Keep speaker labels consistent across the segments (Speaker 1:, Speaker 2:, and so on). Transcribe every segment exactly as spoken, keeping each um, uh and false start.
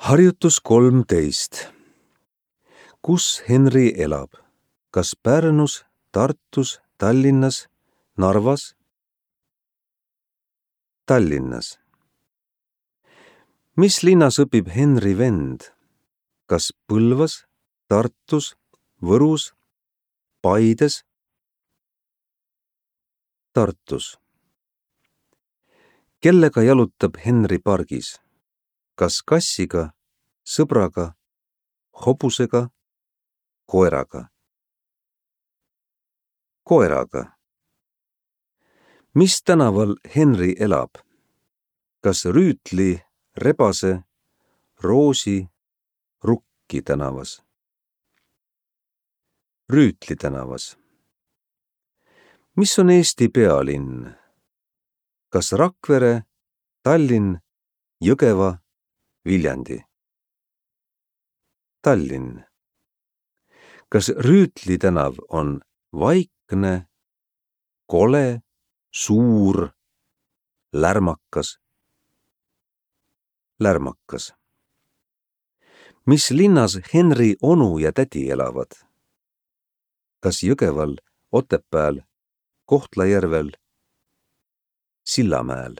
Speaker 1: Harjutus kolmteist. Kus Henri elab? Kas Pärnus, Tartus, Tallinnas, Narvas? Tallinnas. Mis linnas õpib Henri vend? Kas Põlvas, Tartus, Võrus, Paides? Tartus. Kellega jalutab Henri pargis? Kas kassiga, sõbraga, hobusega, koeraga? Koeraga. Mis tänaval Henri elab? Kas Rüütli, Rebase, Roosi, Rukki tänavas? Rüütli tänavas. Mis on Eesti pealinn? Kas Rakvere, Tallinn, Jõgeva, Viljandi? Tallinn. Kas Rüütli tänav on vaikne, kole, suur, lärmakas? Lärmakas. Mis linnas Henri onu ja tädi elavad? Kas Jõgeval, Otepääl, Kohtla-Järvel, Sillamäel?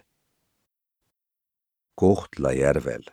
Speaker 1: Kohtla-Järvel.